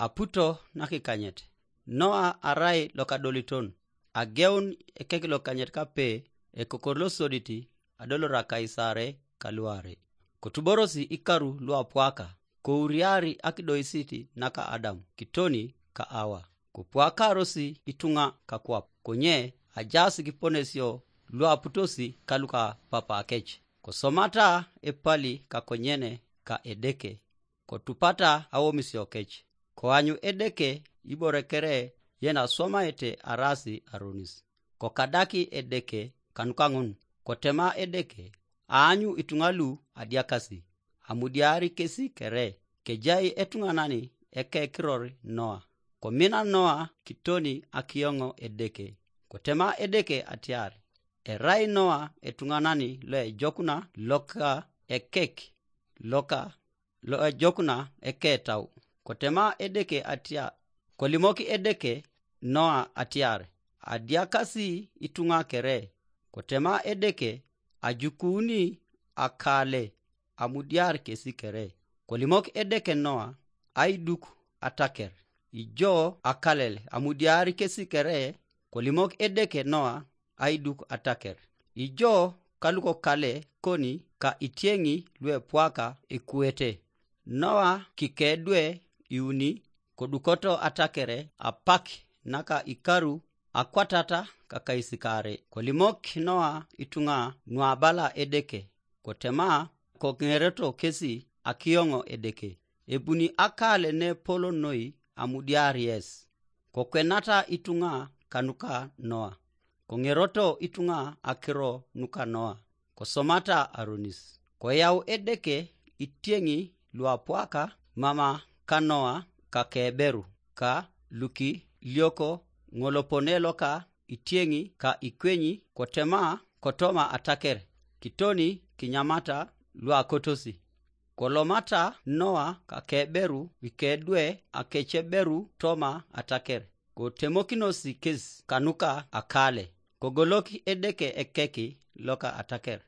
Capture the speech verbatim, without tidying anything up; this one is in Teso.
Aputo nakikanyet. Noa arai lokadoliton. Ageun ekek lokanyet kape, ekokor losodit, adolor Akaisare kaluarei. Kotuborosi ikaru luapwaka, kouriari akidoisit naka Adam kitoni ka Awa. Kopwakarosi ituŋa kakwap, konye ajaas kiponesio luaputosi kaluka papakec. Kosomata epali kakonyene ka Edeke, kotupata awomisio kec. Koanyu Edeke ibore kere yen aswamaete arasi aronis. Kokadaki Edeke kanuka ŋun, kotema Edeke, aanyu ituŋa lu adiakasi, amudiari kesi kere, kejai etuŋanan ekekiror Noa. Komina Noa kitoni akiyoŋo Edeke. Kotema Edeke atiar, erai Noa etuŋanan loejokuna loka ekek, loka loejokuna eketau. Kotema Edeke atia, kolimok Edeke Noa atiar, adiakasi ituŋa kere. Kotema Edeke, ajukuuni akale, amudiar kesi kere. Kolimok Edeke Noa, aiduk ataker. Ijo akalel, amudiar kesi kere. Kolimok Edeke Noa, aiduk ataker. Ijo kalukokale koni ka itieŋi luepwaka ekuete. Noa kikedwe iuni, kodukoto atakere apak naka ikaru akwatata kakaisikaare. Kolimok Noa ituŋa nuabala Edeke, kotema koŋereto kesi akiyoŋo Edeke. Ebuni akale nepolo noi amudiar yes. Kokwenata ituŋa kanuka Noa, koŋeroto ituŋa akiro nuka Noa, kosomata aronis. Koyau Edeke itieŋi luapwaka mama ka Noa kakeberu, ka lukilioko ŋolopone loka itieŋi ka ikwenyi, kotema kotoma ataker, kitoni kinyamata luakotosi. Kolomata Noa kakeberu ikedwe akeceberu toma ataker, kotemokinosi kes kanuka akale, kogolok Edeke ekek loka ataker.